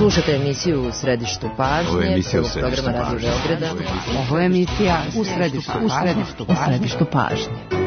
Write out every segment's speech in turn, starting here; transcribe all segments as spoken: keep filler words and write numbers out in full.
Slušate emisiju U središtu pažnje, Ovo je emisija U prvog središtu programa Radio pažnje. Beograda. Ovo je emisija U središtu U središtu pažnje. U središtu pažnje.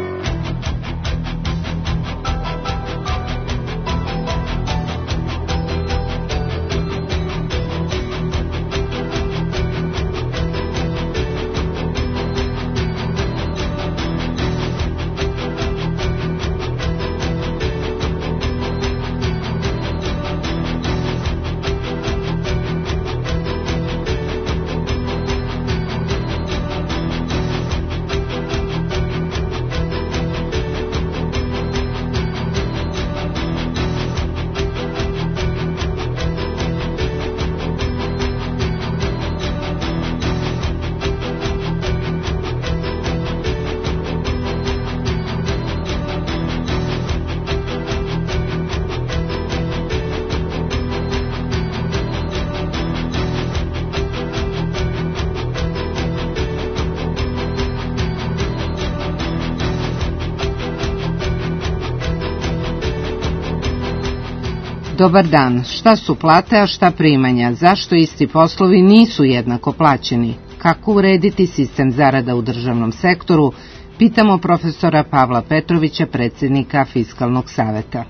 Dobar dan. Šta su plate, a šta primanja? Zašto isti poslovi nisu jednako plaćeni? Kako urediti sistem zarada u državnom sektoru? Pitamo profesora Pavla Petrovića, predsjednika Fiskalnog saveta.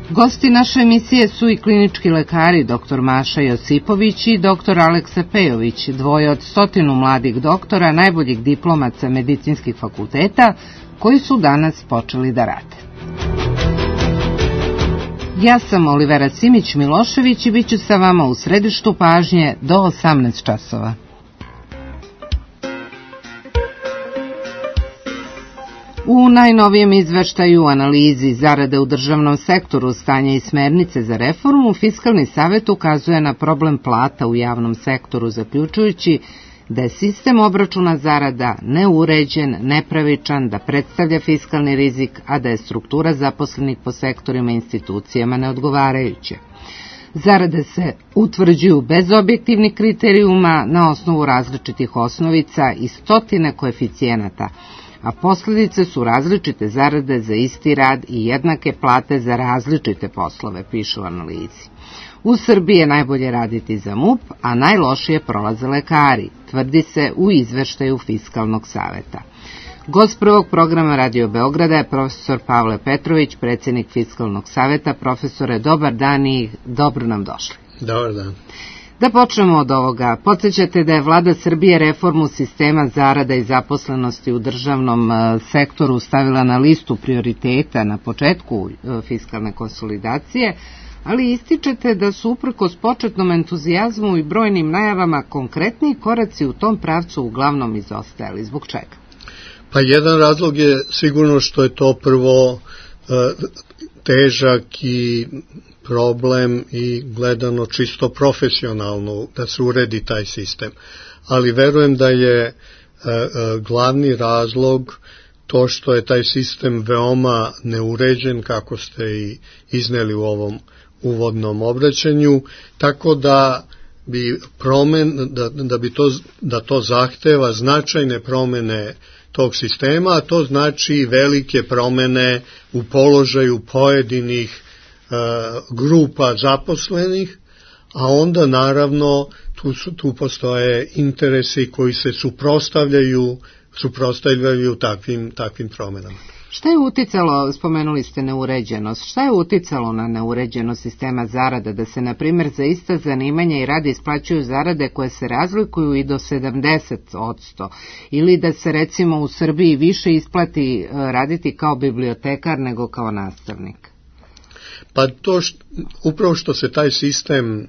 Gosti naše emisije su i klinički lekari doktor Maša Josipović i doktor Aleksa Pejović, dvoje od stotinu mladih doktora, najboljih diplomaca medicinskih fakulteta, koji su danas počeli da rade. Ja sam Olivera Simić-Milošević i bit ću sa vama u središtu pažnje do osamnaest časova. U najnovijem izveštaju analizi zarade u državnom sektoru, stanje i smernice za reformu, Fiskalni savet ukazuje na problem plata u javnom sektoru, zaključujući da je sistem obračuna zarada neuređen, nepravičan, da predstavlja fiskalni rizik, a da je struktura zaposlenih po sektorima i institucijama neodgovarajuća. Zarade se utvrđuju bez objektivnih kriterijuma na osnovu različitih osnovica i stotine koeficijenata, a posljedice su različite zarade za isti rad i jednake plate za različite poslove, piše u analizi. U Srbiji je najbolje raditi za M U P, a najlošije prolaze lekari, tvrdi se u izveštaju Fiskalnog saveta. Gost prvog programa Radio Beograda je profesor Pavle Petrović, predsjednik Fiskalnog saveta. Profesore, dobar dan i dobro nam došli. Dobar dan. Da počnemo od ovoga. Podsjećate da je vlada Srbije reformu sistema zarada i zaposlenosti u državnom sektoru stavila na listu prioriteta na početku fiskalne konsolidacije, ali ističete da su uprkos početnom entuzijazmu i brojnim najavama konkretni koraci u tom pravcu uglavnom izostajali. Zbog čega? Pa jedan razlog je sigurno što je to prvo težak i problem i gledano čisto profesionalno da se uredi taj sistem. Ali verujem da je glavni razlog to što je taj sistem veoma neuređen, kako ste i izneli u ovom uvodnom obraćanju, tako da bi promen, da, da bi to, da to zahteva značajne promene tog sistema, a to znači velike promene u položaju pojedinih e, grupa zaposlenih, a onda naravno tu, su, tu postoje interesi koji se suprotstavljaju, suprotstavljaju takvim, takvim promenama. Šta je uticalo, spomenuli ste neuređenost, šta je uticalo na neuređenost sistema zarada, da se, na primjer, za ista zanimanja i rad isplaćuju zarade koje se razlikuju i do sedamdeset posto, ili da se, recimo, u Srbiji više isplati raditi kao bibliotekar nego kao nastavnik? Pa to što, upravo što se taj sistem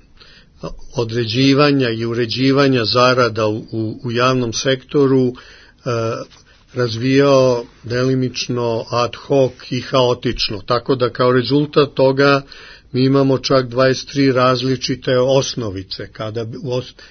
određivanja i uređivanja zarada u, u, u javnom sektoru uh, razvijao delimično ad hoc i haotično, tako da kao rezultat toga mi imamo čak dvadeset tri različite osnovice, kada bi,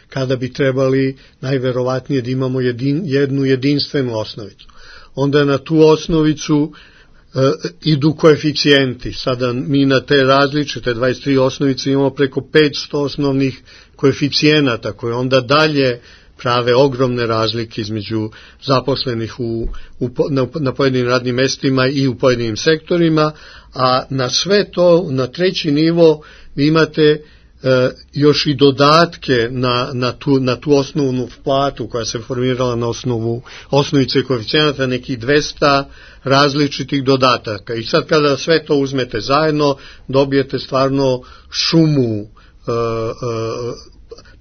kada bi trebali najverovatnije da imamo jedin, jednu jedinstvenu osnovicu. Onda na tu osnovicu e, idu koeficijenti. Sada mi na te različite dvadeset tri osnovice imamo preko petsto osnovnih koeficijenata koje onda dalje prave ogromne razlike između zaposlenih u, u, na, na pojedinim radnim mestima i u pojedinim sektorima, a na sve to, na treći nivo, vi imate E, još i dodatke na, na, tu, na tu osnovnu platu koja se formirala na osnovu osnovice koeficijenata, nekih dvesta različitih dodataka. I sad kada sve to uzmete zajedno, dobijete stvarno šumu e, e,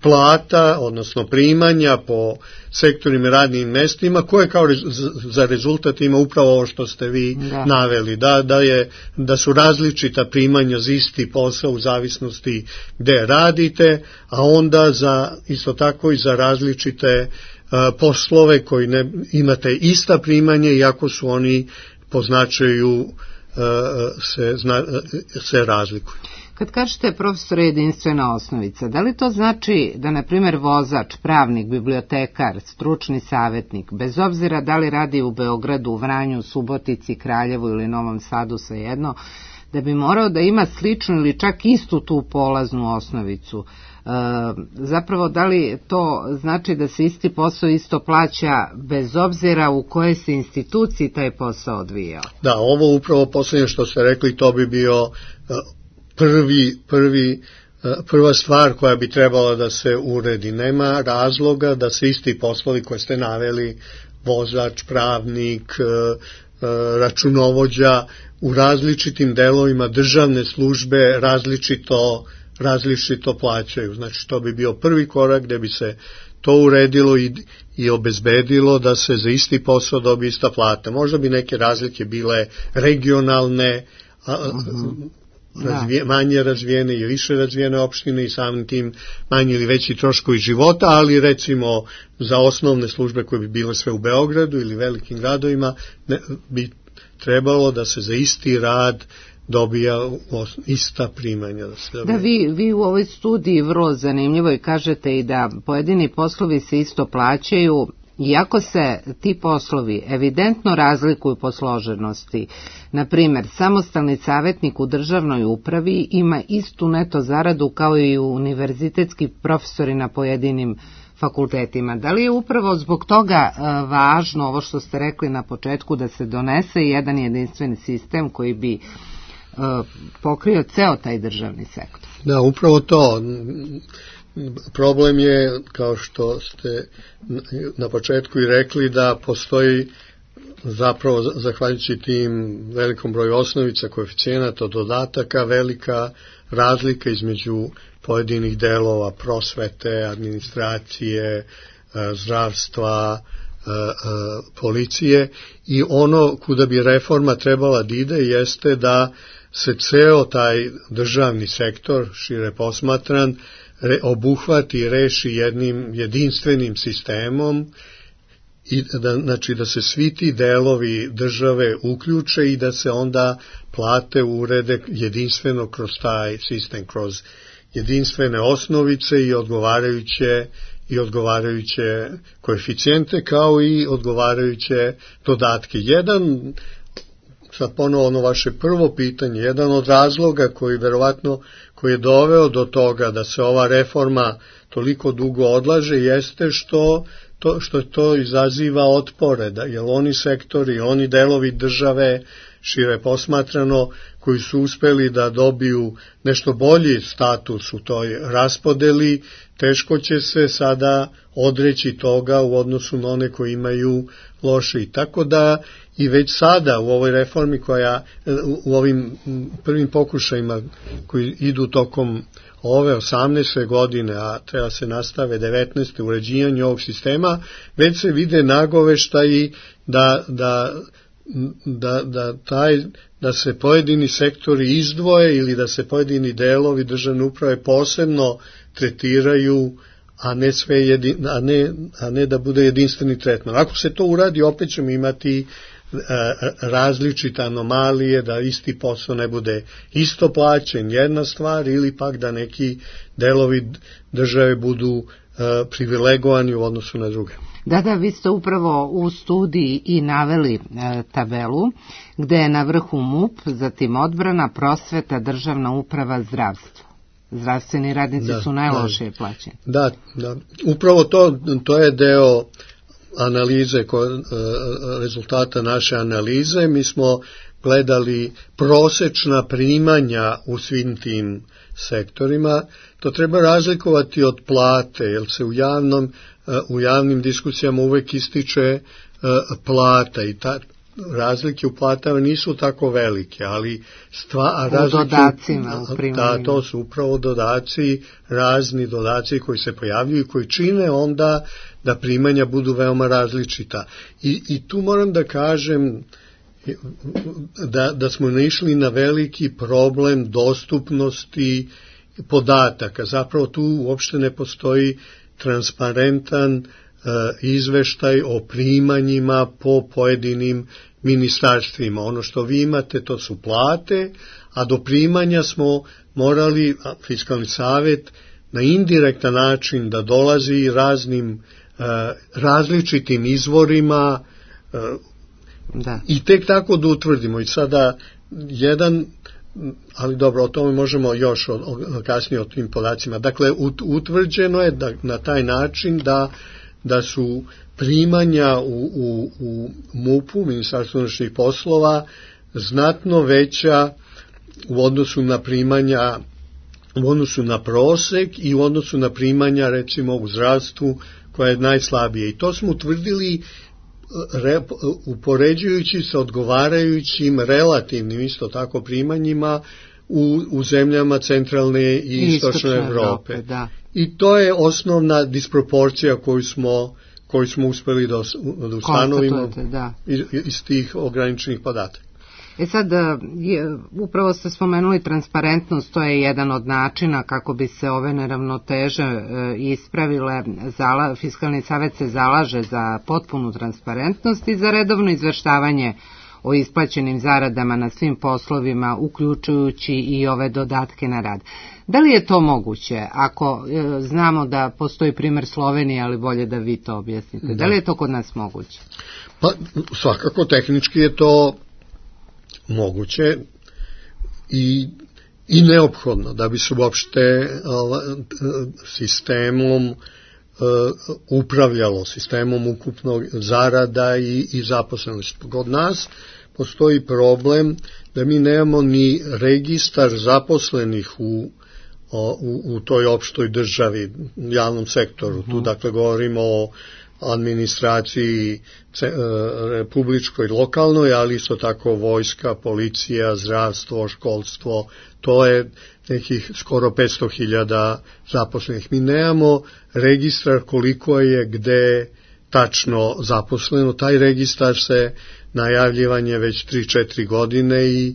plata, odnosno primanja po sektorima i radnim mestima, koje kao rez, za rezultat ima upravo ovo što ste vi da. naveli, da, da, je, da su različita primanja za isti posao u zavisnosti gde radite, a onda za, isto tako i za različite uh, poslove koji ne, imate ista primanja, iako su oni po značaju uh, se, zna, se razlikuju. Kad kažete, profesore, jedinstvena osnovica, da li to znači da, na primjer, vozač, pravnik, bibliotekar, stručni savjetnik, bez obzira da li radi u Beogradu, Vranju, Subotici, Kraljevu ili Novom Sadu, svejedno, da bi morao da ima sličnu ili čak istu tu polaznu osnovicu? E, zapravo, da li to znači da se isti posao isto plaća bez obzira u kojoj se instituciji taj posao odvijao? Da, ovo upravo posljednje što ste rekli, to bi bio Prvi, prvi, prva stvar koja bi trebala da se uredi. Nema razloga da se isti poslovi koje ste naveli, vozač, pravnik, računovođa, u različitim delovima državne službe različito, različito plaćaju. Znači, to bi bio prvi korak gde bi se to uredilo i, i obezbedilo da se za isti posao dobije ista plata. Možda bi neke razlike bile regionalne, a, uh-huh. Razvije, manje razvijene i više razvijene opštine i samim tim manji ili veći troškovi života, ali recimo za osnovne službe koje bi bile sve u Beogradu ili velikim gradovima ne, bi trebalo da se za isti rad dobija ista primanja. Da, se da vi, vi u ovoj studiji vrlo zanimljivo i kažete i da pojedini poslovi se isto plaćaju, iako se ti poslovi evidentno razlikuju po složenosti. Na primjer, samostalni savjetnik u državnoj upravi ima istu neto zaradu kao i univerzitetski profesori na pojedinim fakultetima. Da li je upravo zbog toga e, važno ovo što ste rekli na početku, da se donese jedan jedinstveni sistem koji bi e, pokrio ceo taj državni sektor? Da, upravo to. Problem je, kao što ste na početku i rekli, da postoji zapravo, zahvaljujući tim velikom broju osnovica, koeficijenata, dodataka, velika razlika između pojedinih delova prosvete, administracije, zdravstva, policije, i ono kuda bi reforma trebala da ide jeste da se ceo taj državni sektor, šire posmatran, obuhvati i reši jednim jedinstvenim sistemom, i da, znači da se svi ti delovi države uključe i da se onda plate urede jedinstveno kroz taj sistem, kroz jedinstvene osnovice i odgovarajuće i odgovarajuće koeficijente, kao i odgovarajuće dodatke. Jedan, sad ponovo ono vaše prvo pitanje, jedan od razloga koji verovatno koji je doveo do toga da se ova reforma toliko dugo odlaže jeste što to, što to izaziva otpore, da, jer oni sektori, oni delovi države, šire posmatrano, koji su uspeli da dobiju nešto bolji status u toj raspodeli, teško će se sada odreći toga u odnosu na one koji imaju loše. I tako da i već sada u ovoj reformi koja, u ovim prvim pokušajima koji idu tokom ove osamnaeste godine, a treba se nastave devetnaeste uređivanje ovog sistema, već se vide nagoveštaji da, da, da, da, taj, da se pojedini sektori izdvoje ili da se pojedini delovi državne uprave posebno tretiraju, a ne, sve jedin, a ne, a ne da bude jedinstveni tretman. Ako se to uradi, opet ćemo imati različite anomalije, da isti posao ne bude isto plaćen, jedna stvar, ili pak da neki delovi države budu privilegovani u odnosu na druge. Da, da, vi ste upravo u studiji i naveli e, tabelu gde je na vrhu M U P, zatim odbrana, prosveta, državna uprava, zdravstvo. Zdravstveni radnici da, su najlošije plaćeni. Da, da, upravo to, to je deo analize, rezultata naše analize. Mi smo gledali prosečna primanja u svim tim sektorima. To treba razlikovati od plate, jer se u, javnom, u javnim diskusijama uvek ističe plata i ta razlike u platama nisu tako velike, ali stva, razlike, u dodacima, u primanjima. Da, to su upravo dodaci, razni dodaci koji se pojavljuju i koji čine onda da primanja budu veoma različita. I, i tu moram da kažem da, da smo naišli na veliki problem dostupnosti podataka. Zapravo tu uopšte ne postoji transparentan izveštaj o primanjima po pojedinim ministarstvima. Ono što vi imate to su plate, a do primanja smo morali, Fiskalni savet, na indirektan način da dolazi raznim različitim izvorima da. I tek tako da utvrdimo. I sada jedan, ali dobro, o tome možemo još o, o, kasnije o tim podacima. Dakle, utvrđeno je da, na taj način da da su primanja u, u, u MUP-u, Ministarstvu unutrašnjih poslova, znatno veća u odnosu na primanja, u odnosu na prosek i u odnosu na primanja, recimo, u zdravstvu, koja je najslabije. I to smo utvrdili re, upoređujući sa odgovarajućim relativnim, isto tako, primanjima u, u zemljama centralne i istočne Evrope. Evrope da. I to je osnovna disproporcija koju smo, koju smo uspeli da, da ustanovimo da. iz, iz tih ograničenih podataka. E sad, je, upravo ste spomenuli transparentnost, to je jedan od načina kako bi se ove neravnoteže e, ispravile. Zala, Fiskalni savet se zalaže za potpunu transparentnost i za redovno izveštavanje o isplaćenim zaradama na svim poslovima, uključujući i ove dodatke na rad. Da li je to moguće, ako e, znamo da postoji primer Slovenije, ali bolje da vi to objasnite. Da, da li je to kod nas moguće? Pa, svakako, tehnički je to moguće i, i neophodno da bi se uopšte sistemom upravljalo, sistemom ukupnog zarada i, i zaposlenosti. Kod nas postoji problem da mi nemamo ni registar zaposlenih u, u, u toj opštoj državi, javnom sektoru. Uh-huh. Tu dakle govorimo o administraciji republičkoj, lokalnoj, ali isto tako vojska, policija, zdravstvo, školstvo, to je nekih skoro petsto hiljada zaposlenih. Mi nemamo registar koliko je gde tačno zaposleno. Taj registar se najavljivan je već tri četiri godine i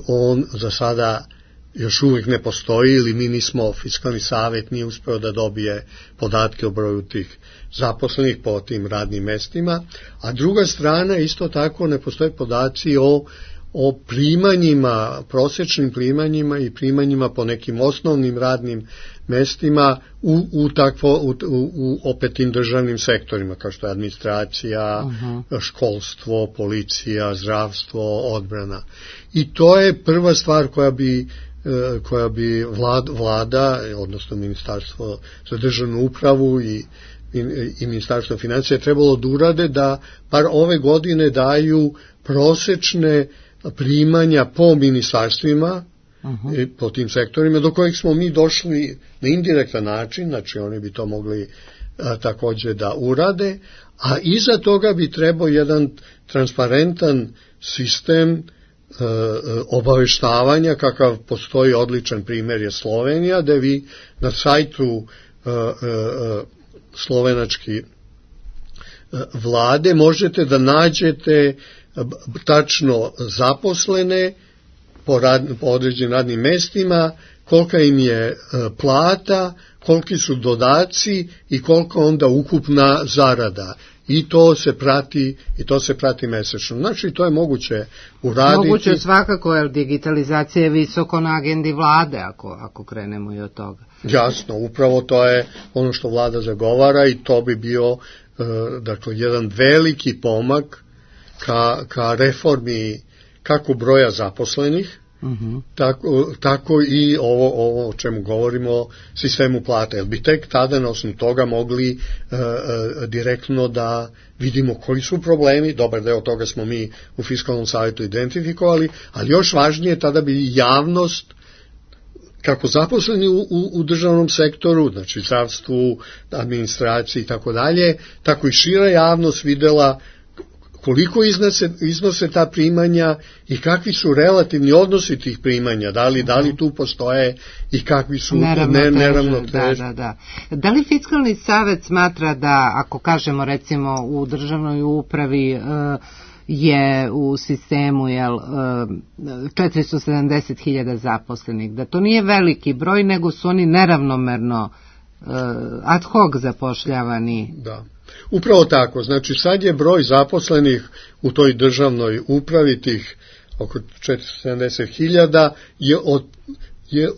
on za sada još uvijek ne postoji, ili mi nismo, Fiskalni savet nije uspeo da dobije podatke o broju tih zaposlenih po tim radnim mestima, a druga strana isto tako ne postoje podaci o, o primanjima, prosečnim primanjima i primanjima po nekim osnovnim radnim mestima u, u, takvo, u, u, u opet tim državnim sektorima, kao što je administracija, uh-huh. školstvo, policija, zdravstvo, odbrana. I to je prva stvar koja bi koja bi vlad, vlada, odnosno Ministarstvo za državnu upravu i, i, i Ministarstvo financija trebalo da urade, da par ove godine daju prosečne primanja po ministarstvima, uh-huh. po tim sektorima, do kojih smo mi došli na indirektan način, znači oni bi to mogli a, takođe da urade, a iza toga bi trebao jedan transparentan sistem obaveštavanja, kakav postoji odličan primjer je Slovenija, da vi na sajtu uh, uh, slovenački uh, vlade možete da nađete tačno zaposlene po, rad, po određenim radnim mestima, kolika im je uh, plata, koliki su dodaci i koliko onda ukupna zarada. I to se prati i to se prati mesečno. Znači to je moguće uraditi. Moguće svakako, jer digitalizacija je visoko na agendi vlade, ako ako krenemo i od toga. Jasno, upravo to je ono što vlada zagovara i to bi bio dakle jedan veliki pomak ka ka reformi kako broja zaposlenih, Uh-huh. Tako, tako i ovo, ovo o čemu govorimo, sistemu plata, jer bi tek tada na osnovu toga mogli uh, uh, direktno da vidimo koji su problemi, dobar deo toga smo mi u Fiskalnom savetu identifikovali, ali još važnije tada bi javnost, kako zaposleni u, u, u državnom sektoru, znači zdravstvu, administraciji i tako dalje, tako i šira javnost videla koliko iznose, iznose ta primanja i kakvi su relativni odnosi tih primanja, da li, da li tu postoje i kakvi su neravnoteže. Da, da, da. Da li Fiskalni savet smatra da, ako kažemo recimo u državnoj upravi, je u sistemu jel, četiristo sedamdeset hiljada zaposlenih, da to nije veliki broj, nego su oni neravnomerno ad hoc zapošljavani? Da. Upravo tako, znači sad je broj zaposlenih u toj državnoj upravi, tih oko četiristo sedamdeset hiljada, je, od, je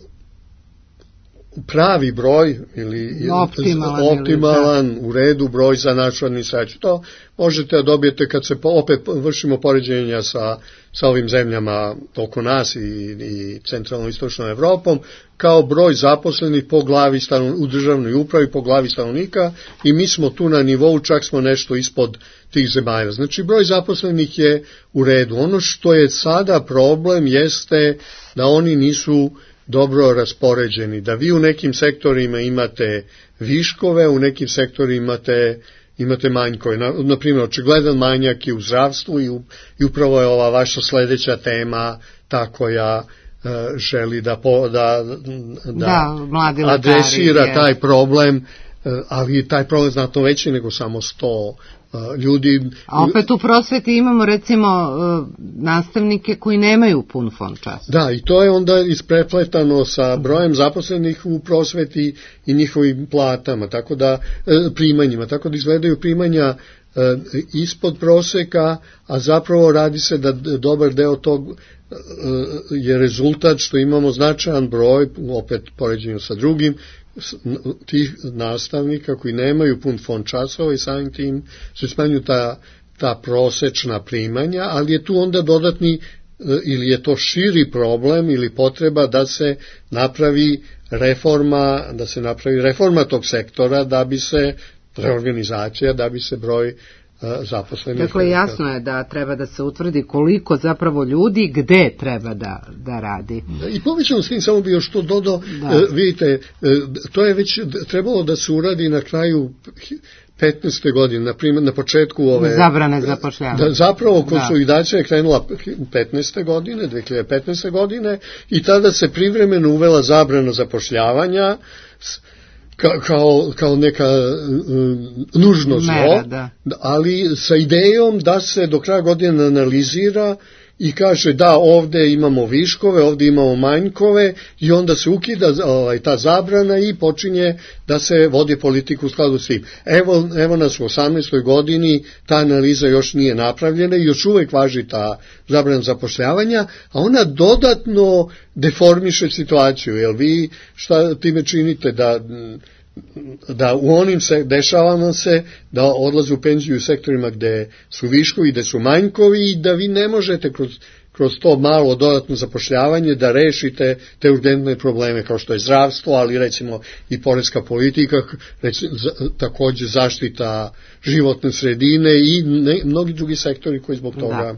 pravi broj ili optimalan, optimalan ili u redu broj za našu administraciju. To možete da dobijete kad se opet vršimo poređenja sa, sa ovim zemljama oko nas i, i centralno-istočnom Evropom, kao broj zaposlenih po glavi stanovnika, u državnoj upravi po glavi stanovnika, i mi smo tu na nivou, čak smo nešto ispod tih zemalja. Znači broj zaposlenih je u redu. Ono što je sada problem jeste da oni nisu dobro raspoređeni, da vi u nekim sektorima imate viškove, u nekim sektorima imate, imate manjkove. Na, na primjer, očigledan manjak je u zdravstvu i, u, i upravo je ova vaša sledeća tema ta koja uh, želi da, po, da, da, da adresira lekari, taj problem, uh, ali taj problem znatno veći nego samo sto ljudi. A opet u prosveti imamo recimo nastavnike koji nemaju pun fond časa. Da, i to je onda isprepletano sa brojem zaposlenih u prosveti i njihovim platama, tako da primanjima, tako da izgledaju primanja ispod proseka, a zapravo radi se da dobar deo tog je rezultat što imamo značajan broj, opet poređenju sa drugim, tih nastavnika koji nemaju pun fond časova i samim tim se smanjuju ta, ta prosečna primanja, ali je tu onda dodatni, ili je to širi problem ili potreba da se napravi reforma, da se napravi reforma tog sektora, da bi se reorganizacija, da bi se broj zaposlenih. Dakle, jasno je da treba da se utvrdi koliko zapravo ljudi gde treba da, da radi. I povećano s tim, samo bi još to dodao, da. Vidite, to je već trebalo da se uradi na kraju petnaeste godine, na primjer, na početku ove zabrane zapošljavanja. Da, zapravo konsolidacija je krenula petnaeste godine, dve hiljade petnaeste godine, i tada se privremeno uvela zabrana zapošljavanja Ka, kao, kao neka uh, nužno zlo, da. ali sa idejom da se do kraja godine analizira i kaže da ovde imamo viškove, ovde imamo manjkove, i onda se ukida ovaj, ta zabrana i počinje da se vodi politiku u skladu s tim. Evo, evo nas u osamnaestoj godini, ta analiza još nije napravljena i još uvek važi ta zabrana zapošljavanja, a ona dodatno deformiše situaciju, jer vi šta time činite, da da u onim se dešava nam se da odlaze u penziju u sektorima gde su viškovi, gde su manjkovi, i da vi ne možete kroz, kroz to malo dodatno zapošljavanje da rešite te urgentne probleme kao što je zdravstvo, ali recimo i poreska politika, recimo, takođe zaštita životne sredine i ne, mnogi drugi sektori koji zbog toga... Da.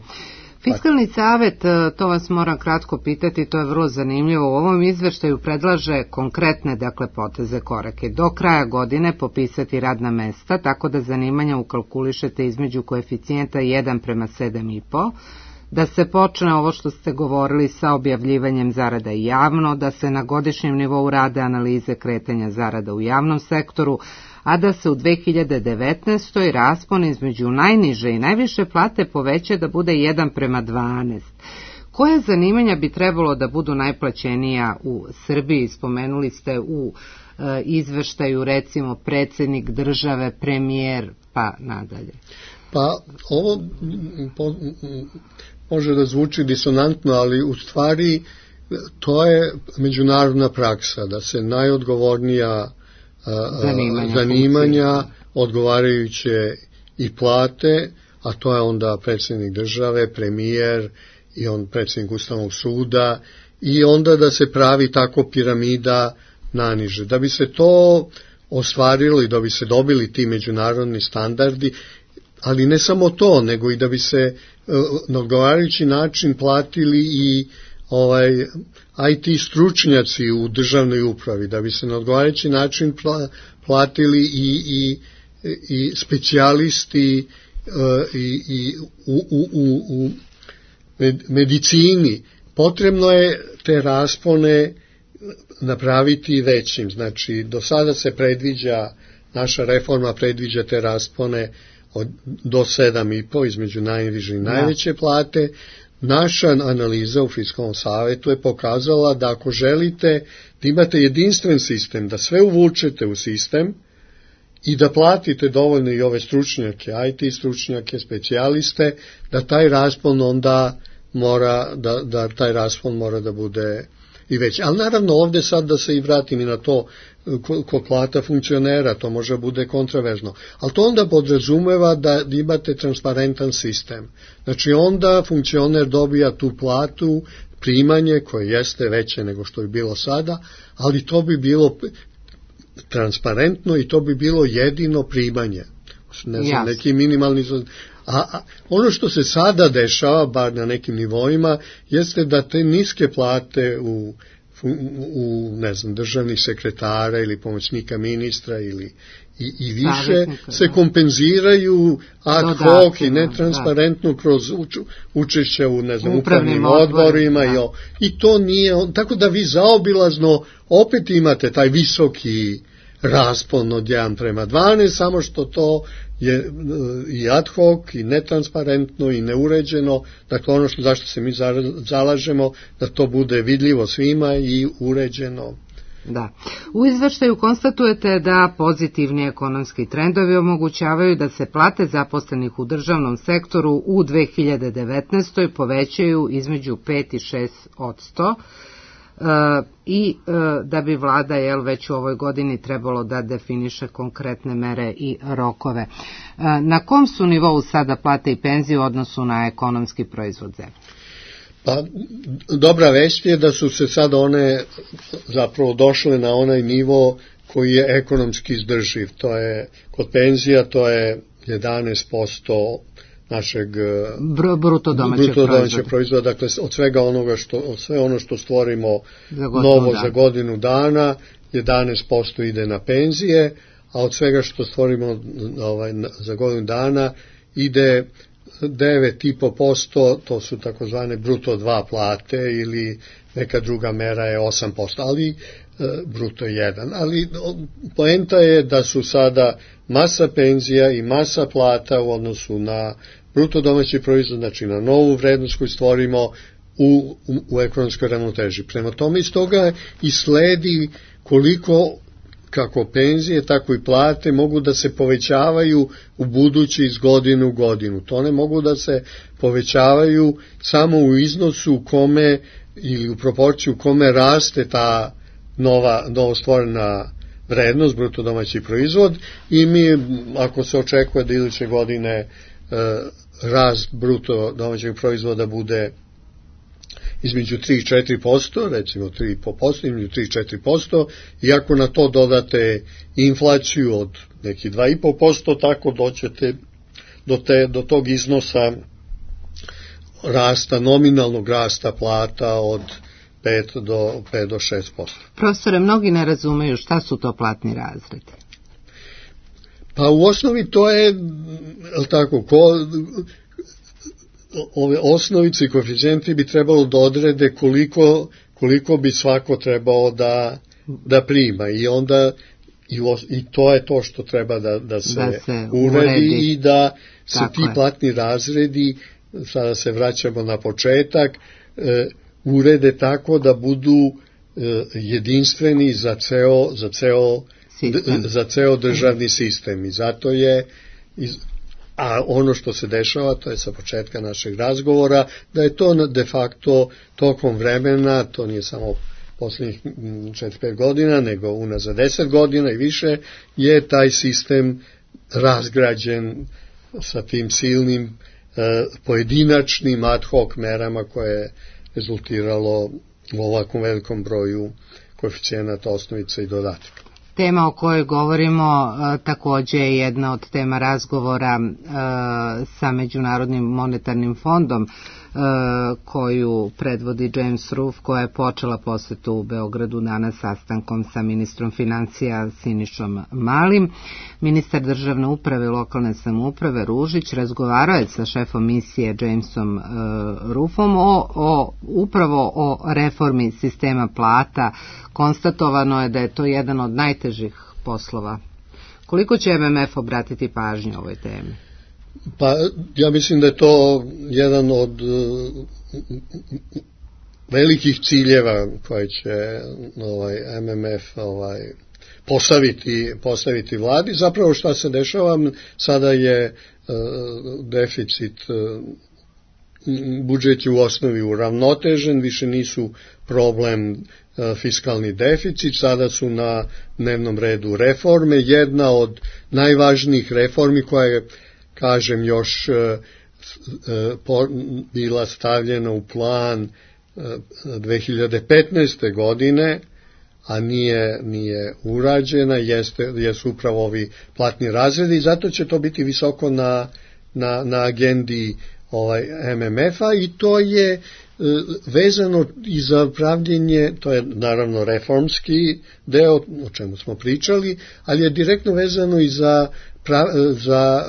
Fiskalni savet, to vas moram kratko pitati, to je vrlo zanimljivo, u ovom izveštaju predlaže konkretne, dakle, poteze, korake. Do kraja godine popisati radna mesta, tako da zanimanja ukalkulišete između koeficijenta jedan prema sedam i po, da se počne ovo što ste govorili sa objavljivanjem zarada i javno, da se na godišnjem nivou rade analize kretanja zarada u javnom sektoru, a da se u dve hiljade devetnaestoj raspon između najniže i najviše plate poveća da bude jedan prema dvanaest. Koje zanimanja bi trebalo da budu najplaćenija u Srbiji? Spomenuli ste u e, izveštaju recimo predsjednik države, premijer, pa nadalje. Pa ovo po, može da zvuči disonantno, ali u stvari to je međunarodna praksa, da se najodgovornija zanimanja, zanimanja odgovarajuće i plate, a to je onda predsjednik države, premijer i on predsjednik Ustavnog suda, i onda da se pravi tako piramida naniže. Da bi se to ostvarilo i da bi se dobili ti međunarodni standardi, ali ne samo to, nego i da bi se na odgovarajući način platili i ovaj I T stručnjaci u državnoj upravi, da bi se na odgovarajući način platili i, i, i specijalisti i, i u, u, u, u medicini. Potrebno je te raspone napraviti većim. Znači, do sada se predviđa, naša reforma predviđa te raspone od, do sedam i po između najniže i najveće plate. Naša analiza u Fiskalnom savetu je pokazala da ako želite da imate jedinstven sistem, da sve uvučete u sistem i da platite dovoljno i ove stručnjake, I T stručnjake, specijaliste, da taj raspon onda mora, da, da taj raspon mora da bude i veći. Ali naravno ovdje sad da se i vratim i na to kod plata funkcionera, to može bude kontraverzno. Ali to onda podrazumeva da imate transparentan sistem. Znači onda funkcioner dobija tu platu, primanje koje jeste veće nego što bi bilo sada, ali to bi bilo transparentno i to bi bilo jedino primanje. Ne znam, neki minimalni... A, a ono što se sada dešava, bar na nekim nivoima, jeste da te niske plate u, u, u ne znam, državnih sekretara ili pomoćnika ministra ili i, i više se kompenziraju ad hoc i netransparentno kroz uč, učešće u ne znam, upravnim odborima i, o, i to nije, tako da vi zaobilazno opet imate taj visoki raspon od jedan prema dvanaest, samo što to je i ad hoc i netransparentno i neuređeno, dakle ono što zašto se mi zalažemo da to bude vidljivo svima i uređeno. Da. U izveštaju konstatujete da pozitivni ekonomski trendovi omogućavaju da se plate zaposlenih u državnom sektoru u dve hiljade devetnaestoj povećaju između pet i šest posto. Uh, i uh, da bi vlada jel, već u ovoj godini trebalo da definiše konkretne mere i rokove. Uh, na kom su nivou sada plate i penzije u odnosu na ekonomski proizvod zemlje? Pa, dobra vest je da su se sad one zapravo došle na onaj nivo koji je ekonomski izdrživ. To je, kod penzija to je jedanaest posto našeg Br- bruto domaćeg bruto proizvoda. proizvoda, dakle od svega onoga što, od sve ono što stvorimo za novo dan. za godinu dana, jedanaest posto ide na penzije, a od svega što stvorimo ovaj, za godinu dana ide devet i po posto, to su takozvane bruto dva plate ili neka druga mera je osam posto, ali bruto jedan. Ali poenta je da su sada masa penzija i masa plata u odnosu na bruto domaći proizvod, znači na novu vrednost koju stvorimo u, u, u ekonomskoj ravnoteži. Prema tome iz toga i sledi koliko kako penzije, tako i plate mogu da se povećavaju u budući iz godine u godinu. To ne mogu da se povećavaju samo u iznosu u kome ili u proporciju u kome raste ta nova, novo stvorena vrednost, bruto domaći proizvod, i mi, ako se očekuje da iduće godine e, rast bruto domaćeg proizvoda bude između tri i četiri posto, recimo tri i po posto, između tri i četiri posto, i ako na to dodate inflaciju od nekih dva i po posto, tako doćete do, te, do tog iznosa rasta, nominalnog rasta plata od pet do šest posto. Profesore, mnogi ne razumeju šta su to platni razredi. Pa u osnovi to je, tako, ko, ove osnovice i koeficijenti bi trebalo da odrede koliko, koliko bi svako trebao da, da prima, i onda i, i to je to što treba da, da, se, da se uredi, uredi i da se tako ti je. platni razredi, sada se vraćamo na početak, e, urede tako da budu e, jedinstveni za ceo, za ceo, d, za ceo državni sistem, i zato je iz, a ono što se dešava, to je sa početka našeg razgovora, da je to de facto tokom vremena, to nije samo posljednjih četiri pet godina, nego unazad deset godina i više, je taj sistem razgrađen sa tim silnim pojedinačnim ad hoc merama koje je rezultiralo u ovakvom velikom broju koeficijenata, osnovica i dodataka. Tema o kojoj govorimo takođe je jedna od tema razgovora sa Međunarodnim monetarnim fondom koju predvodi James Ruff, koja je počela posetu u Beogradu danas sastankom sa ministrom financija Sinišom Malim. Ministar državne uprave i lokalne samouprave Ružić razgovarao je sa šefom misije Jamesom Ruffom o, o, upravo o reformi sistema plata. Konstatovano je da je to jedan od najtežih poslova. Koliko će M M F obratiti pažnju ovoj temi? Pa ja mislim da je to jedan od velikih ciljeva koje će ovaj M M F ovaj postaviti postaviti vladi. Zapravo šta se dešava, sada je uh, deficit uh, budžet je u osnovi uravnotežen, više nisu problem uh, fiskalni deficit, sada su na dnevnom redu reforme. Jedna od najvažnijih reformi koja je, kažem, još bila stavljena u plan dve hiljade petnaeste. godine, a nije, nije urađena, jeste, jesu upravo ovi platni razredi i zato će to biti visoko na, na, na agendi ovaj M M F-a i to je vezano i za pravljenje, to je naravno reformski deo, o čemu smo pričali, ali je direktno vezano i za, za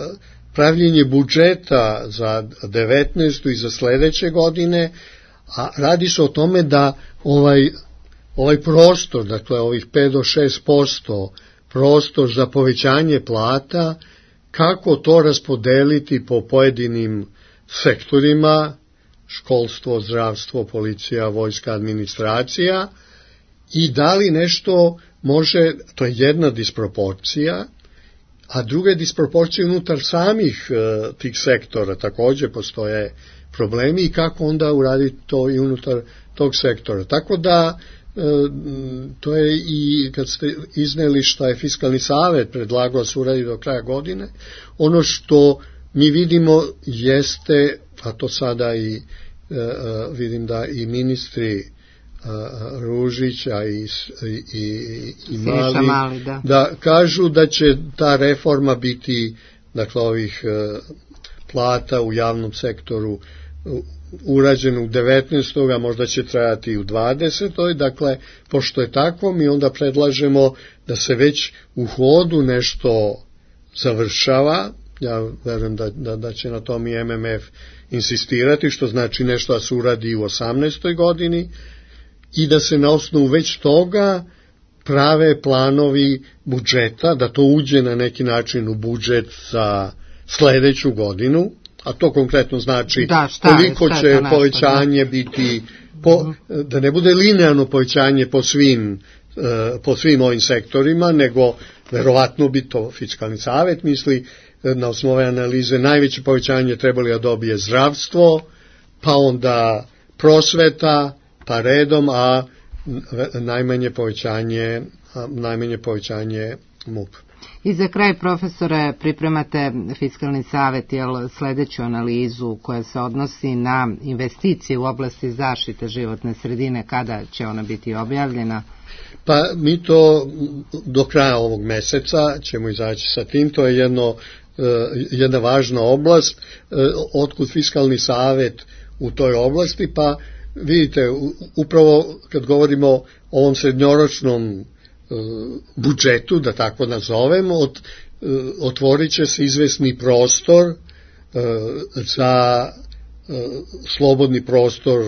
pravljenje budžeta za devetnaestu i za sledeće godine, a radi se o tome da ovaj, ovaj prostor, dakle ovih pet do šest posto prostor za povećanje plata, kako to raspodeliti po pojedinim sektorima, školstvo, zdravstvo, policija, vojska, administracija, i da li nešto može, to je jedna disproporcija, a druga je disproporcija unutar samih uh, tih sektora, takođe postoje problemi i kako onda uraditi to i unutar tog sektora. Tako da uh, to je i kad ste izneli što je Fiskalni savet predlagao da se uradi do kraja godine, ono što mi vidimo jeste, a to sada i uh, vidim da i ministri Ružića i, i, i Mali, Mali da. da kažu da će ta reforma biti, dakle, ovih plata u javnom sektoru urađena u devetnaestoj. a možda će trajati i u dvadesetoj. Dakle, pošto je tako, mi onda predlažemo da se već u hodu nešto završava. Ja verujem da, da, da će na tom i M M F insistirati, što znači nešto da se uradi u osamnaestoj. godini, i da se na osnovu već toga prave planovi budžeta, da to uđe na neki način u budžet za sledeću godinu, a to konkretno znači da, šta, koliko šta će nešto, povećanje da. biti, po, da ne bude linearno povećanje po svim, po svim ovim sektorima, nego verovatno bi to Fiskalni savet misli, na osnovu analize najveće povećanje trebali da dobije zdravstvo, pa onda prosveta, pa redom, a najmanje povećanje, a najmanje povećanje M U P. I za kraj, profesore, pripremate Fiskalni savet, jel, sledeću analizu koja se odnosi na investicije u oblasti zaštite životne sredine, kada će ona biti objavljena? Pa mi to do kraja ovog meseca ćemo izaći sa tim, to je jedno, jedna važna oblast, otkud Fiskalni savet u toj oblasti, pa vidite, upravo kad govorimo o ovom srednjoročnom budžetu, da tako nazovemo, ot, otvorit će se izvesni prostor za slobodni prostor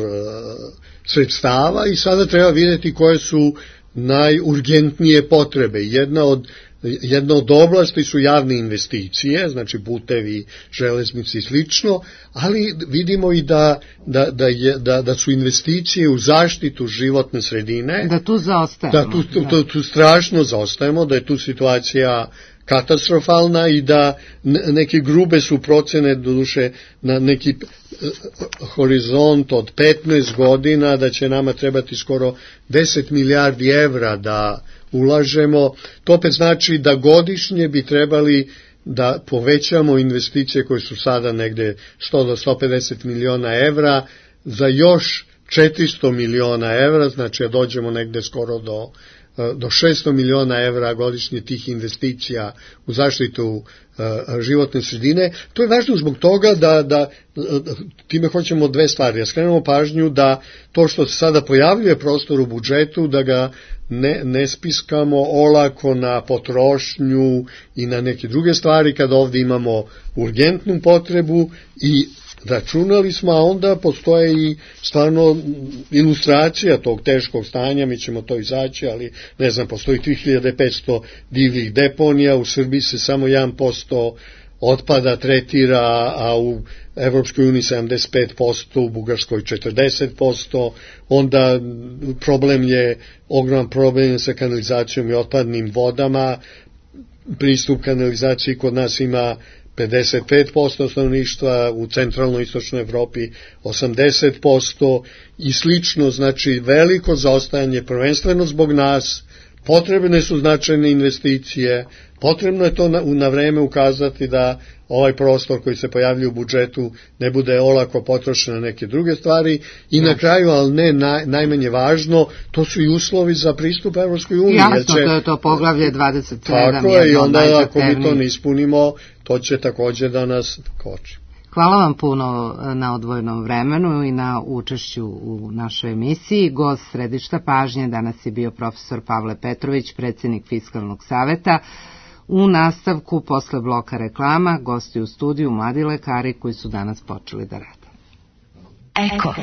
sredstava i sada treba vidjeti koje su najurgentnije potrebe. Jedna od Jedna od oblasti su javne investicije, znači putevi, železnici i slično, ali vidimo i da, da, da, je, da, da su investicije u zaštitu životne sredine. Da tu zaostajemo. Da tu, tu, tu, tu strašno zaostajemo, da je tu situacija katastrofalna i da neke grube su procene, doduše na neki horizont od petnaest godina, da će nama trebati skoro deset milijardi evra da ulažemo. To opet znači da godišnje bi trebali da povećamo investicije koje su sada negde sto do sto pedeset miliona evra za još četiristo miliona evra, znači da dođemo negde skoro do do šesto miliona evra godišnje tih investicija u zaštitu uh, životne sredine. To je važno zbog toga da, da time hoćemo dve stvari. Ja skrenemo pažnju da to što se sada pojavljuje prostor u budžetu, da ga ne, ne spiskamo olako na potrošnju i na neke druge stvari, kada ovdje imamo urgentnu potrebu i računali smo, a onda postoje i stvarno ilustracija tog teškog stanja, mi ćemo to izaći, ali ne znam, postoji tri hiljade petsto divljih deponija, u Srbiji se samo jedan posto otpada tretira, a u Evropskoj uniji sedamdeset pet posto, u Bugarskoj četrdeset posto, onda problem je, ogroman problem sa kanalizacijom i otpadnim vodama, pristup kanalizaciji kod nas ima pedeset pet posto stanovništva, u centralnoj istočnoj Evropi osamdeset posto i slično, znači veliko zaostajanje prvenstveno zbog nas, potrebne su značajne investicije, potrebno je to na, na vreme ukazati da ovaj prostor koji se pojavlja u budžetu ne bude olako potrošen na neke druge stvari i na kraju, ali ne naj, najmanje važno, to su i uslovi za pristup Evropskoj uniji. Jasno, će, to je to poglavlje dvadeset sedam. Tako je, i onda ako mi to ne ispunimo, to će također da nas koči. Hvala vam puno na odvojenom vremenu i na učešću u našoj emisiji. Gost središta pažnje danas je bio profesor Pavle Petrović, predsjednik Fiskalnog saveta. U nastavku, posle bloka reklama, gosti u studiju mladi lekari koji su danas počeli da rade. Eko.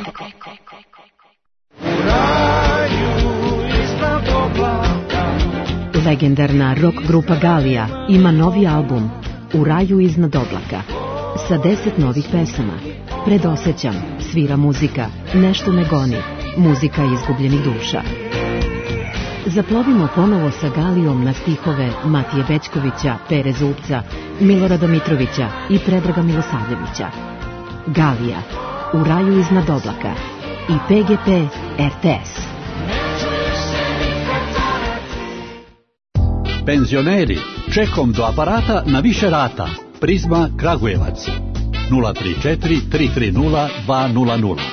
Legendarna rock grupa Galija ima novi album U raju iznad oblaka sa deset novih pesama. Predosećam, svira muzika, nešto me goni, muzika izgubljenih duša. Zaplovimo ponovo sa Galijom na stihove Matije Bećkovića, Pere Zupca, Milorada Mitrovića i Predraga Milosavljevića. Galija, U raju iznad oblaka i P G P R T S. Penzioneri, čekom do aparata na više rata. Prizma Kragujevac. nula tri četiri tri tri nula dva nula nula.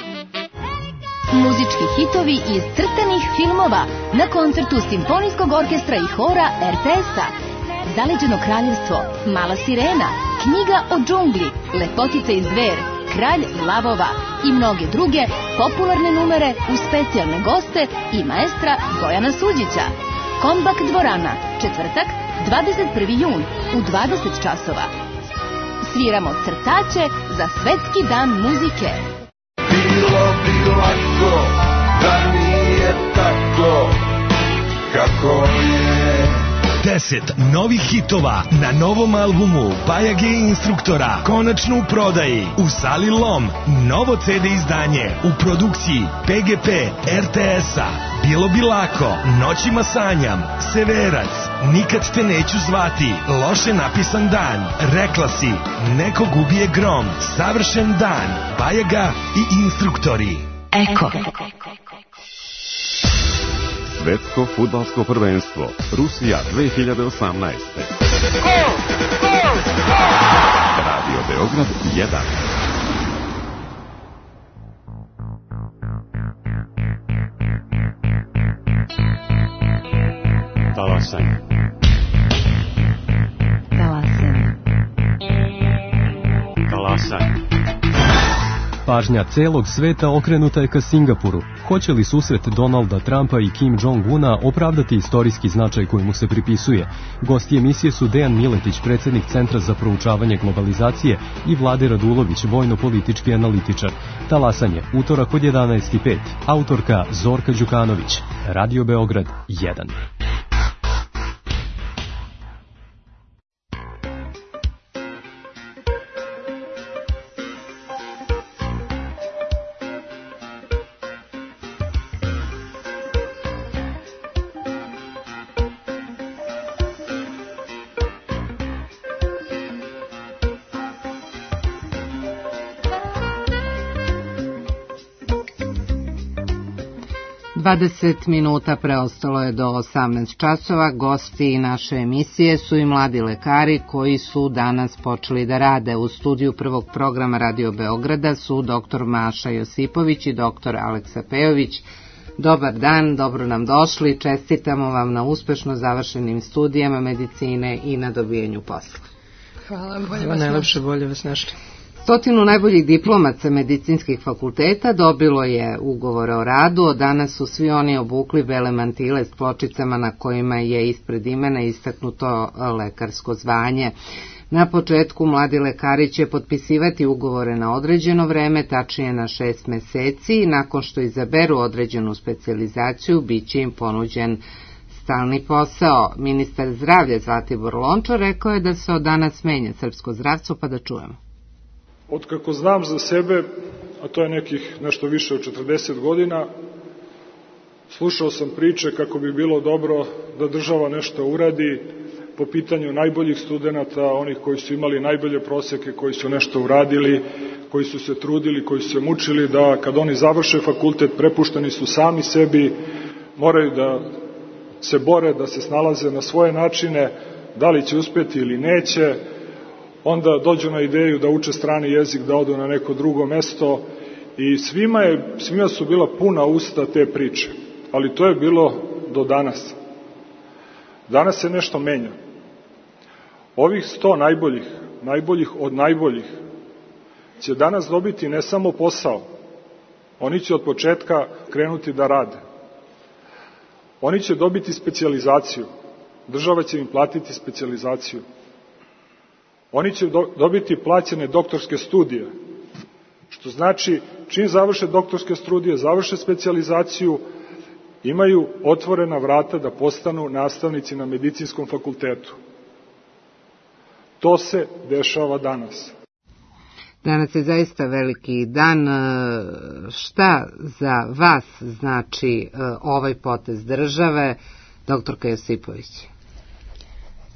Muzički hitovi iz crtanih filmova na koncertu Simfonijskog orkestra i hora R T S-a. Zaleđeno kraljevstvo, Mala sirena, Knjiga o džungli, Lepotica i zver, Kralj lavova i mnoge druge popularne numere uz specijalne goste i maestra Bojana Suđića. Kombak dvorana, četvrtak, dvadeset prvi jun u dvadeset časova. Sviramo crtače za Svetski dan muzike. Bilo bi lako da nije tako kako je. Deset novih hitova na novom albumu Bajage instruktora konačno u prodaji u Sali Lom. Novo C D izdanje u produkciji P G P R T S-a. Bilo bi lako, Noćima sanjam, Severac, Nikad te neću zvati, Loše napisan dan, Rekla si, Nekog ubije grom, Savršen dan, Bajaga i instruktori. Eko. Svetsko fudbalsko prvenstvo Rusija dve hiljade osamnaeste. Radio Beograd jedan. Talasanje. Talasanje. Talasanje. Pažnja celog sveta okrenuta je ka Singapuru. Hoće li susret Donalda Trumpa i Kim Jong-una opravdati istorijski značaj koji mu se pripisuje? Gosti emisije su Dejan Miletić, predsjednik Centra za proučavanje globalizacije, i Vlade Radulović, vojno-politički analitičar. Talasanje, utorak od jedanaest i pet. Autorka Zorka Đukanović. Radio Beograd jedan. dvadeset minuta preostalo je do osamnaest časova. Gosti naše emisije su i mladi lekari koji su danas počeli da rade. U studiju prvog programa Radio Beograda su doktor Maša Josipović i doktor Aleksa Pejović. Dobar dan, dobro nam došli, čestitamo vam na uspešno završenim studijama medicine i na dobijenju posla. Hvala, bolje vas najlepše, bolje vas našli. Stotinu najboljih diplomaca medicinskih fakulteta dobilo je ugovore o radu, od danas su svi oni obukli bele mantile s pločicama na kojima je ispred imena istaknuto lekarsko zvanje. Na početku mladi lekari će potpisivati ugovore na određeno vreme, tačnije na šest meseci, i nakon što izaberu određenu specijalizaciju, bit će im ponuđen stalni posao. Ministar zdravlja Zlatibor Lončar rekao je da se od danas menja srpsko zdravstvo, pa da čujemo. Od kako znam za sebe, a to je nekih nešto više od četrdeset godina, slušao sam priče kako bi bilo dobro da država nešto uradi po pitanju najboljih studenta, onih koji su imali najbolje proseke, koji su nešto uradili, koji su se trudili, koji su se mučili, da kad oni završe fakultet prepušteni su sami sebi, moraju da se bore, da se snalaze na svoje načine, da li će uspjeti ili neće, onda dođu na ideju da uče strani jezik, da odu na neko drugo mesto, i svima, je, svima su bila puna usta te priče, ali to je bilo do danas. Danas se nešto menja. Ovih sto najboljih, najboljih od najboljih, će danas dobiti ne samo posao, oni će od početka krenuti da rade. Oni će dobiti specijalizaciju, država će im platiti specijalizaciju. Oni će do, dobiti plaćene doktorske studije, što znači čim završe doktorske studije, završe specijalizaciju, imaju otvorena vrata da postanu nastavnici na medicinskom fakultetu. To se dešava danas. Danas je zaista veliki dan. Šta za vas znači ovaj potez države, doktorka Josipović?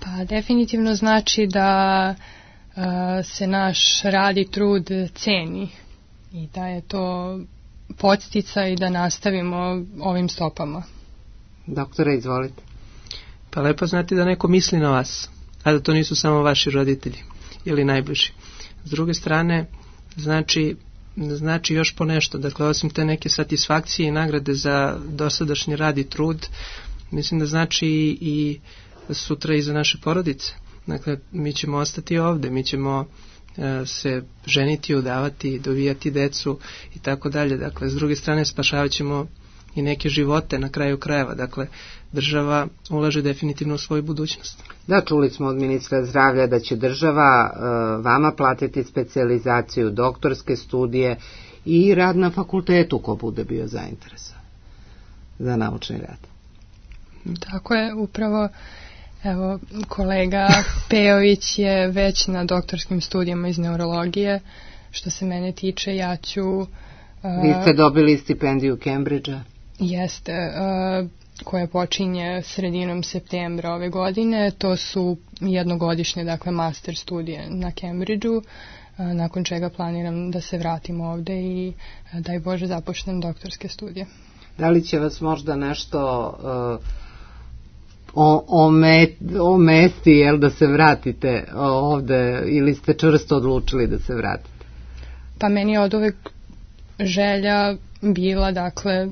Pa definitivno znači da uh, se naš rad i trud ceni i da je to podsticaj da nastavimo ovim stopama. Doktore, izvolite. Pa lepo znati da neko misli na vas, a da to nisu samo vaši roditelji ili najbliži. S druge strane, znači, znači još po nešto. Dakle, osim te neke satisfakcije i nagrade za dosadašnji rad i trud, mislim da znači i, i sutra i za naše porodice. Dakle, mi ćemo ostati ovde, mi ćemo e, se ženiti, udavati, dovijati decu i tako dalje. Dakle, s druge strane spašavat ćemo i neke živote na kraju krajeva. Dakle, država ulaže definitivno u svoju budućnost. Da, čuli smo od ministra zdravlja da će država e, vama platiti specijalizaciju, doktorske studije i rad na fakultetu ko bude bio zainteresovan za naučni rad. Tako je, upravo. Evo, kolega Pejović je već na doktorskim studijama iz neurologije. Što se mene tiče, ja ću... Uh, Vi ste dobili stipendiju Cambridgea? Jeste, uh, koja počinje sredinom septembra ove godine. To su jednogodišnje, dakle, master studije na Cambridgeu, uh, nakon čega planiram da se vratim ovde i, uh, daj Bože, započnem doktorske studije. Da li će vas možda nešto... Uh, O, o, met, o mesti, jel, da se vratite ovde, ili ste čvrsto odlučili da se vratite? Pa meni je od uvek želja bila, dakle,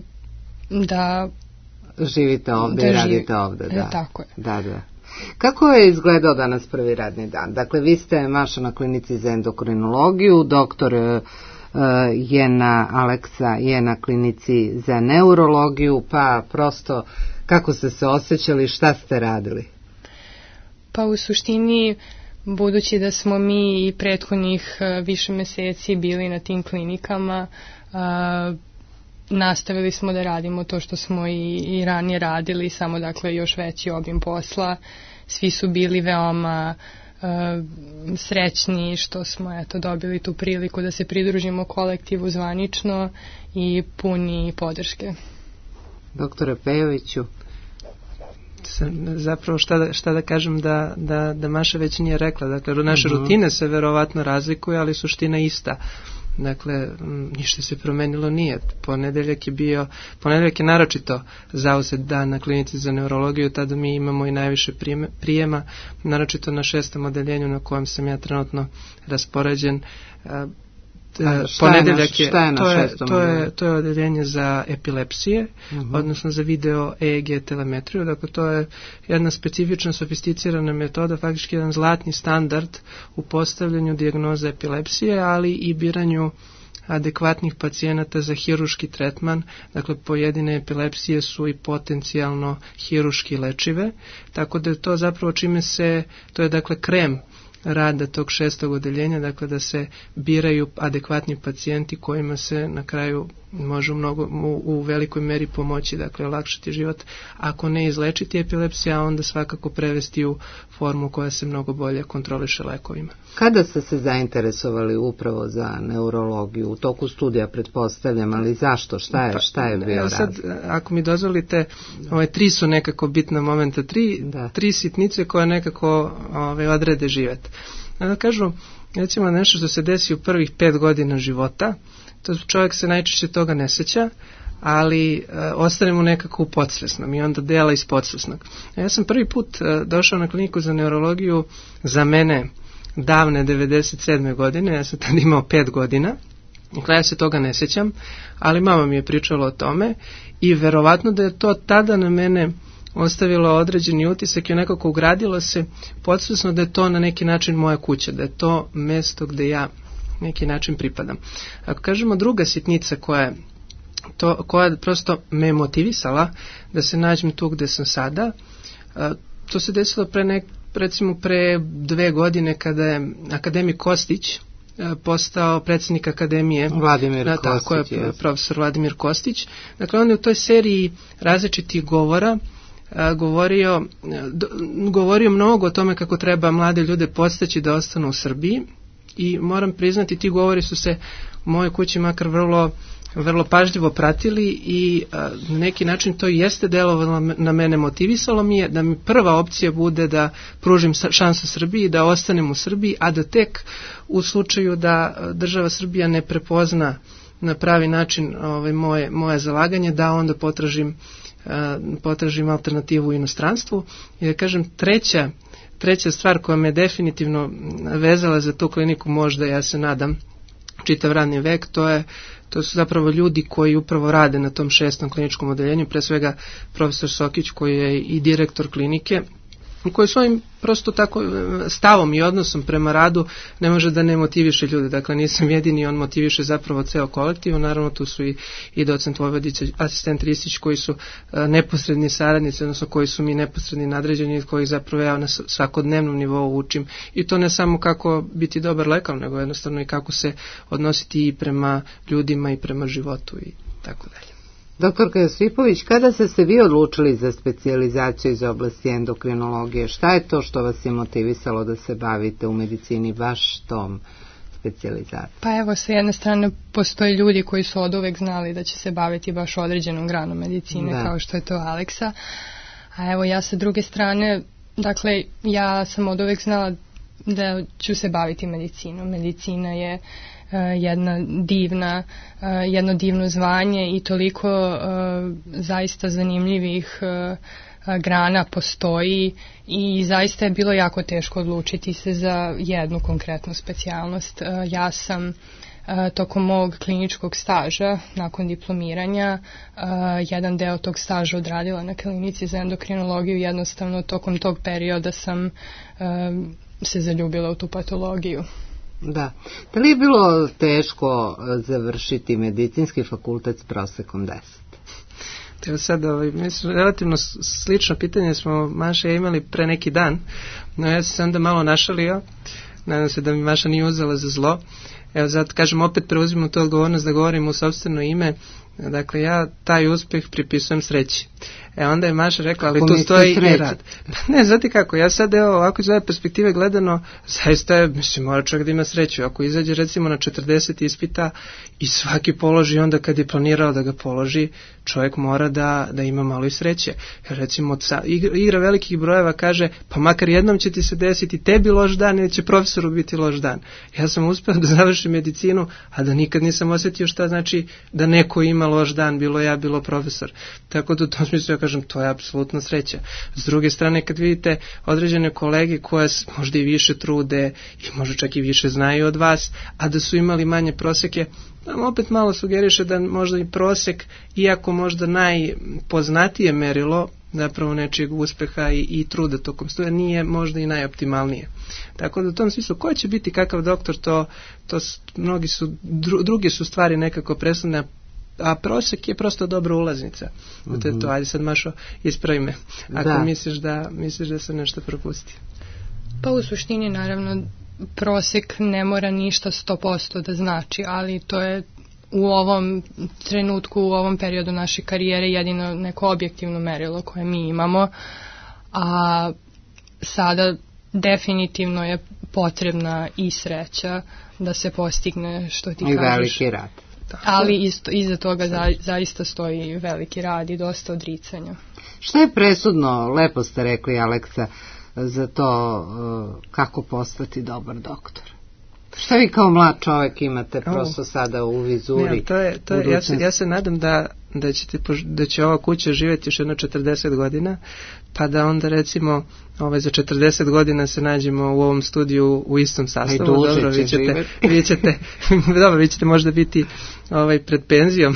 da živite ovde da i radite živ... ovde, da. E, tako je. Da, da. Kako je izgledao danas prvi radni dan? Dakle, vi ste, Maša, na klinici za endokrinologiju, doktor uh, je na Aleksa je na klinici za neurologiju, pa prosto kako ste se osjećali, šta ste radili? Pa u suštini, budući da smo mi i prethodnih više meseci bili na tim klinikama, a, nastavili smo da radimo to što smo i, i ranije radili, samo dakle još veći obim posla. Svi su bili veoma a, srećni što smo eto dobili tu priliku da se pridružimo kolektivu zvanično i puni podrške. Doktore Pejoviću, zapravo šta da, šta da kažem da, da, da Maša već nije rekla. Dakle, naše uh-huh. rutine se verovatno razlikuju, ali suština ista. Dakle, ništa se promenilo nije. Ponedeljak je bio, ponedeljak je naročito zauzet dan na klinici za neurologiju, tada mi imamo i najviše prijema, naročito na šestom odeljenju na kojem sam ja trenutno raspoređen. Ponedeljak je, je to, je, to, je, to je odeljenje za epilepsije, uh-huh. odnosno za video E E G telemetriju, dakle to je jedna specifična sofisticirana metoda, faktički jedan zlatni standard u postavljanju dijagnoze epilepsije, ali i biranju adekvatnih pacijenata za hiruški tretman. Dakle, pojedine epilepsije su i potencijalno hiruški lečive, tako da je to zapravo čime se, to je dakle krem rada tog šestog odeljenja, dakle da se biraju adekvatni pacijenti kojima se na kraju može mnogo, u, u velikoj meri pomoći, dakle olakšati život, ako ne izlečiti epilepsiju, a onda svakako prevesti u formu koja se mnogo bolje kontroliše lekovima. Kada ste se zainteresovali upravo za neurologiju? U toku studija pretpostavljam, ali zašto? Šta je, šta je bio razlog? Sad, ako mi dozvolite, ove tri su nekako bitna momenta, tri, tri sitnice koje nekako ove, odrede život. Da kažu, recimo nešto što se desi u prvih pet godina života, to čovjek se najčešće toga ne seća, ali e, ostane mu nekako u podsvesnom i onda dela iz podsvesnog. Ja sam prvi put e, došao na kliniku za neurologiju, za mene davne devedeset sedme godine, ja sam tada imao pet godina, dakle ja se toga ne sećam, ali mama mi je pričala o tome i verovatno da je to tada na mene ostavilo određeni utisak i nekako ugradilo se podsvesno da je to na neki način moja kuća, da je to mesto gde ja neki način pripadam. Ako kažemo druga sitnica koja je to, koja prosto me motivisala da se nađem tu gde sam sada, to se desilo pre nek, recimo pre dve godine kada je akademik Kostić postao predsjednik akademije, Vladimir da, Kostić, tako je, yes. profesor Vladimir Kostić. Dakle, on je u toj seriji različitih govora a, govorio, do, govorio mnogo o tome kako treba mlade ljude podstaći da ostanu u Srbiji i moram priznati, ti govori su se u mojoj kući makar vrlo vrlo pažljivo pratili i a, na neki način to jeste delovalo na mene, motivisalo mi je da mi prva opcija bude da pružim šansu Srbiji, da ostanem u Srbiji, a da tek u slučaju da država Srbija ne prepozna na pravi način ovaj, moje, moje zalaganje, da onda potražim, a, potražim alternativu u inostranstvu. I da kažem, treća, treća stvar koja me definitivno vezala za tu kliniku, možda ja se nadam čitav radni vek, to je to su zapravo ljudi koji upravo rade na tom šestom kliničkom odeljenju, pre svega profesor Sokić koji je i direktor klinike, koji svojim prosto tako stavom i odnosom prema radu ne može da ne motiviše ljude. Dakle, nisam jedini, on motiviše zapravo ceo kolektiv. Naravno, tu su i, i docent Vojvodić, asistent Ristić, koji su a, neposredni saradnici, odnosno koji su mi neposredni nadređeni, kojih zapravo ja na svakodnevnom nivou učim. I to ne samo kako biti dobar lekar, nego jednostavno i kako se odnositi i prema ljudima i prema životu i tako dalje. Doktorka Josipović, kada ste se vi odlučili za specijalizaciju iz oblasti endokrinologije, šta je to što vas je motivisalo da se bavite u medicini baš tom specijalizacijom? Pa evo, sa jedne strane postoje ljudi koji su od uvek znali da će se baviti baš određenom granom medicine, da. Kao što je to Aleksa. A evo, ja sa druge strane, dakle, ja sam od uvek znala da ću se baviti medicinom. Medicina je Uh, jedna divna, uh, jedno divno zvanje i toliko uh, zaista zanimljivih uh, grana postoji i zaista je bilo jako teško odlučiti se za jednu konkretnu specijalnost. Uh, ja sam uh, tokom mog kliničkog staža, nakon diplomiranja, uh, jedan deo tog staža odradila na klinici za endokrinologiju. Jednostavno, tokom tog perioda sam uh, se zaljubila u tu patologiju. Da. Da li je bilo teško završiti medicinski fakultet s prosekom deset? Evo sad, ovaj, mislim, relativno slično pitanje smo Maša imali pre neki dan, no ja sam se onda malo našalio, nadam se da mi Maša nije uzela za zlo. Evo zato kažem, opet preuzimam tu odgovornost da govorim u sopstveno ime. Dakle, ja taj uspeh pripisujem sreći. E onda je Maša rekla, ali tu stoji i rad. Ne, znate kako, ja sad evo ovako iz ove perspektive gledano, zaista je, mislim, mora čovjek da ima sreću. Ako izađe recimo na četrdeset ispita i svaki položi onda kad je planirao da ga položi, čovjek mora da, da ima malo i sreće. Jer recimo igra, igra velikih brojeva kaže, pa makar jednom će ti se desiti tebi loš dan ili će profesoru biti loš dan. Ja sam uspeo da završim medicinu, a da nikad nisam osjetio šta znači da neko ima loš dan, bilo ja, bilo profesor. Tako da u tom smislu ja kažem, to je apsolutna sreća. S druge strane, kad vidite određene kolege koje možda i više trude i možda čak i više znaju od vas, a da su imali manje proseke, nam opet malo sugeriše da možda i prosek, iako možda najpoznatije merilo zapravo nečijeg uspeha i, i truda tokom studija, nije možda i najoptimalnije. Tako da u tom smislu, ko će biti kakav doktor, to, to mnogi su, dru, druge su stvari nekako presudne, a prosek je prosto dobra ulaznica. Mm-hmm. To je to, ajde sad Mašo, ispravi me, ako da. misliš da misliš da se nešto propusti. Pa u suštini naravno prosek ne mora ništa sto posto da znači, ali to je u ovom trenutku, u ovom periodu naše karijere jedino neko objektivno merilo koje mi imamo, a sada definitivno je potrebna i sreća da se postigne što ti I kažeš. I veliki rad. Ali isto, iza toga za, zaista stoji veliki rad i dosta odricanja. Što je presudno, lepo ste rekli Aleksa, za to kako postati dobar doktor? Šta vi kao mlad čovjek imate prosto sada u vizuri? Ne, to je, to je, ja, se, ja se nadam da, da, ćete, da će ova kuća živjeti još jedno četrdeset godina, pa da onda recimo ovaj, za četrdeset godina se nađemo u ovom studiju u istom sastavu. Dobro, vi ćete, vi ćete, dobro, vi ćete možda biti ovaj, pred penzijom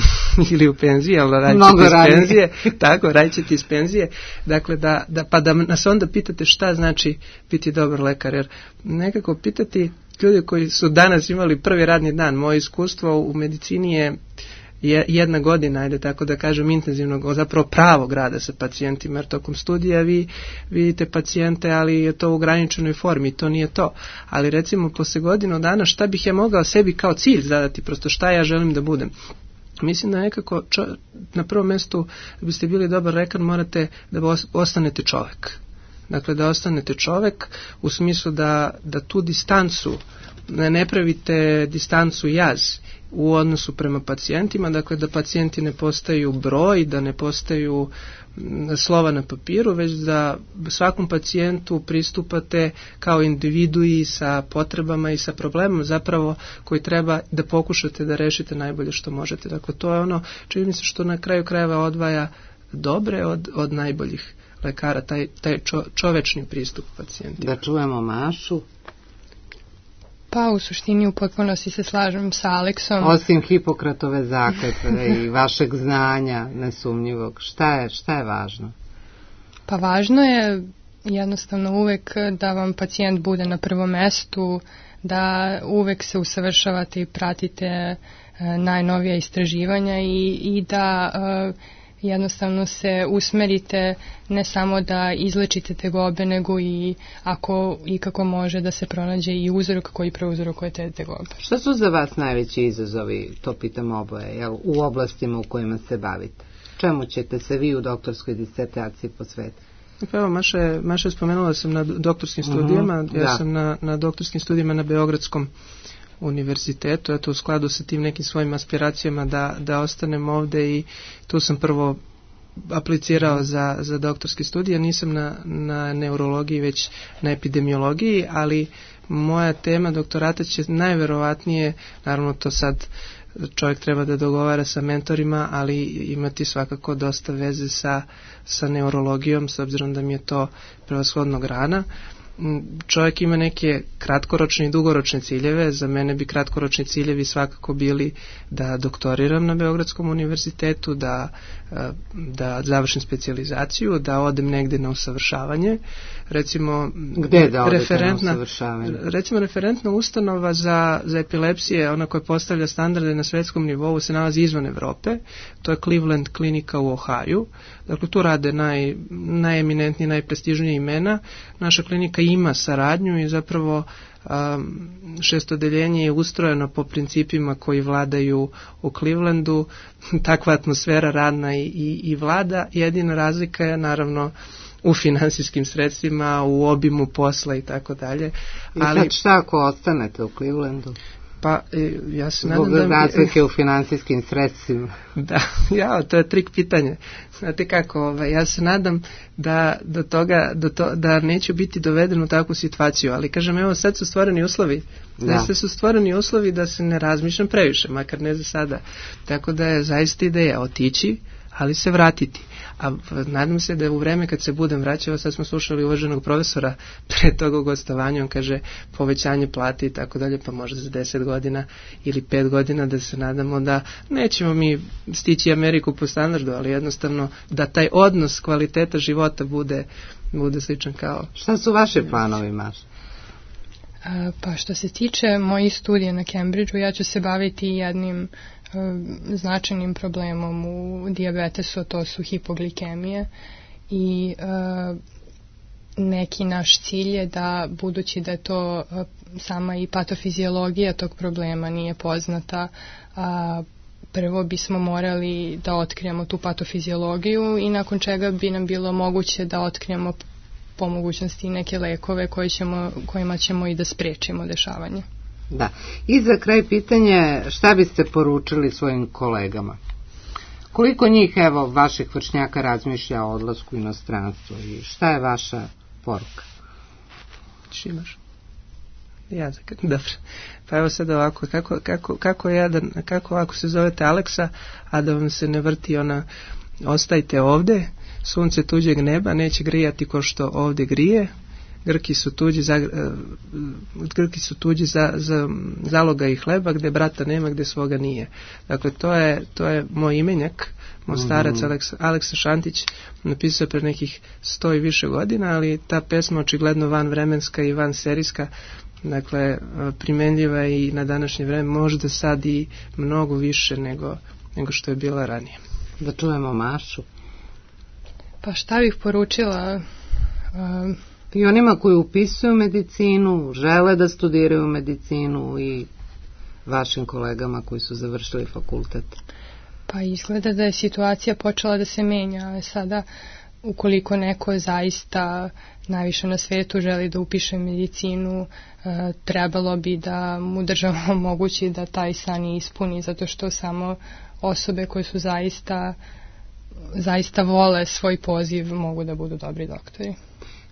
ili u penziji, ali radit ćete iz penzije. Tako, radit ćete iz penzije. Dakle, da, da, pa da nas onda pitate šta znači biti dobar lekar, jer nekako pitati ljudi koji su danas imali prvi radni dan, moje iskustvo u medicini je jedna godina, ajde tako da kažem, intenzivnog, zapravo pravog rada sa pacijentima, jer tokom studija vi vidite pacijente, ali je to u ograničenoj formi, to nije to. Ali recimo posle godinu dana šta bih ja mogao sebi kao cilj zadati, prosto šta ja želim da budem. Mislim da nekako čo, na prvom mjestu da biste bili dobar lekar morate da ostanete čovjek. Dakle, da ostanete čovjek u smislu da, da tu distancu, ne, ne pravite distancu jaz u odnosu prema pacijentima, dakle da pacijenti ne postaju broj, da ne postaju slova na papiru, već da svakom pacijentu pristupate kao individui sa potrebama i sa problemom zapravo koji treba da pokušate da rešite najbolje što možete. Dakle, to je ono, čini mi se što na kraju krajeva odvaja dobre od, od najboljih lekara, taj, taj čo, čovečni pristup pacijentima. Da čujemo Mašu. Pa u suštini u potpunosti se slažem sa Aleksom. Osim Hipokratove zakletve i vašeg znanja nesumnjivog, šta je, šta je važno? Pa važno je jednostavno uvek da vam pacijent bude na prvom mestu, da uvek se usavršavate i pratite najnovija istraživanja i, i da jednostavno se usmerite ne samo da izlečite tegobe, nego i ako i kako može da se pronađe i uzrok koji prouzrokuje te tegobe. Šta su za vas najveći izazovi, to pitam oboje, jel, u oblastima u kojima se bavite? Čemu ćete se vi u doktorskoj disertaciji posvetiti? Pa evo, Maša je, Maša je spomenula da sam na doktorskim studijama, uh-huh, ja da. sam na, na doktorskim studijama na Beogradskom univerzitetu, eto u skladu sa tim nekim svojim aspiracijama da, da ostanem ovde i tu sam prvo aplicirao za, za doktorske studije, nisam na, na neurologiji već na epidemiologiji, ali moja tema doktorata će najverovatnije, naravno to sad čovjek treba da dogovara sa mentorima, ali imati svakako dosta veze sa, sa neurologijom, s obzirom da mi je to prevashodno grana. Čovjek ima neke kratkoročne i dugoročne ciljeve. Za mene bi kratkoročni ciljevi svakako bili da doktoriram na Beogradskom univerzitetu, da, da završim specijalizaciju, da odem negde na usavršavanje. Recimo, gde da odete na usavršavanje? Recimo, referentna ustanova za, za epilepsije, ona koja postavlja standarde na svetskom nivou, se nalazi izvan Evrope. To je Cleveland klinika u Ohaju. Dakle, tu rade naj, najeminentnije, najprestižnije imena. Naša klinika ima saradnju i zapravo šestodeljenje je ustrojeno po principima koji vladaju u Clevelandu, takva atmosfera radna i, i, i vlada. Jedina razlika je naravno u finansijskim sredstvima, u obimu posla i tako dalje. I sad šta ako ostanete u Clevelandu? Pa, ja se nadam Zbog da... razlike u finansijskim sredstvima. Da, ja, to je trik pitanje. Znate kako, ovaj, ja se nadam da do toga, do to, da neću biti doveden u takvu situaciju, ali kažem, evo sad su stvoreni uslovi, da su stvoreni uslovi da se ne razmišljam previše, makar ne za sada. Tako da je zaista ideja otići, ali se vratiti. A nadam se da u vreme kad se budem vraćao, sad smo slušali uvaženog profesora pre toga u gostovanju, on kaže povećanje plate i tako dalje, pa možda za deset godina ili pet godina da se nadamo da nećemo mi stići Ameriku po standardu, ali jednostavno da taj odnos kvaliteta života bude, bude sličan kao... Šta su vaše planovi, Maša? Pa što se tiče mojih studija na Cambridgeu, ja ću se baviti jednim značajnim problemom u dijabetesu, to su hipoglikemije i e, neki naš cilj je da, budući da je to e, sama i patofiziologija tog problema nije poznata, a prvo bismo morali da otkrijemo tu patofiziologiju i nakon čega bi nam bilo moguće da otkrijemo po mogućnosti neke lekove koje ćemo, kojima ćemo i da sprečimo dešavanje. Da. I za kraj pitanje, šta biste poručili svojim kolegama? Koliko njih, evo, vaših vršnjaka razmišlja o odlasku u inostranstvo i šta je vaša poruka? Šimaš? Ja, dobro. Pa evo sad ovako, kako, kako, kako, jedan, kako ako se zovete Aleksa, a da vam se ne vrti ona, ostajte ovde, sunce tuđeg neba neće grijati ko što ovde grije, Grki su tuđi za, uh, Grki su tuđi za, za zaloga i hleba, gde brata nema, gde svoga nije. Dakle, to je, to je moj imenjak, moj starac mm-hmm. Aleksa, Aleksa Šantić napisao pre nekih sto i više godina, ali ta pesma očigledno van vremenska i van serijska, dakle, primenljiva i na današnje vreme, možda sad i mnogo više nego, nego što je bila ranije. Da čujemo Mašu. Pa šta bih poručila... Um, I onima koji upisuju medicinu, žele da studiraju medicinu i vašim kolegama koji su završili fakultet? Pa izgleda da je situacija počela da se menja, ali sada ukoliko neko zaista najviše na svetu želi da upiše medicinu, trebalo bi da mu država omogući da taj san ispuni, zato što samo osobe koje su zaista, zaista vole svoj poziv mogu da budu dobri doktori.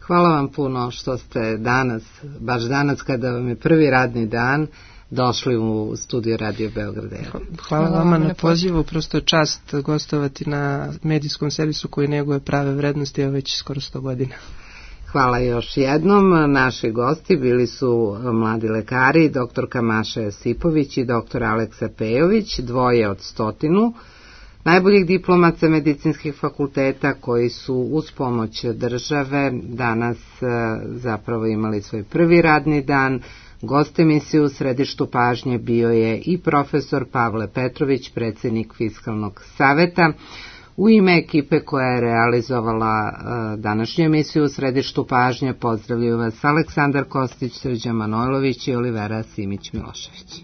Hvala vam puno što ste danas, baš danas kada vam je prvi radni dan, došli u studio Radio Beograd. Hvala, Hvala vama na pozivu, prosto je čast gostovati na medijskom servisu koji neguje prave vrednosti, a već skoro sto godina. Hvala još jednom. Naši gosti bili su mladi lekari, doktorka Maša Josipović i doktor Aleksa Pejović, dvoje od stotinu najboljih diplomaca medicinskih fakulteta koji su uz pomoć države danas zapravo imali svoj prvi radni dan. Gost emisije u središtu pažnje bio je i profesor Pavle Petrović, predsjednik Fiskalnog saveta. U ime ekipe koja je realizovala današnju emisiju u središtu pažnje pozdravljaju vas Aleksandar Kostić, Srđan Manojlović i Olivera Simić-Milošević.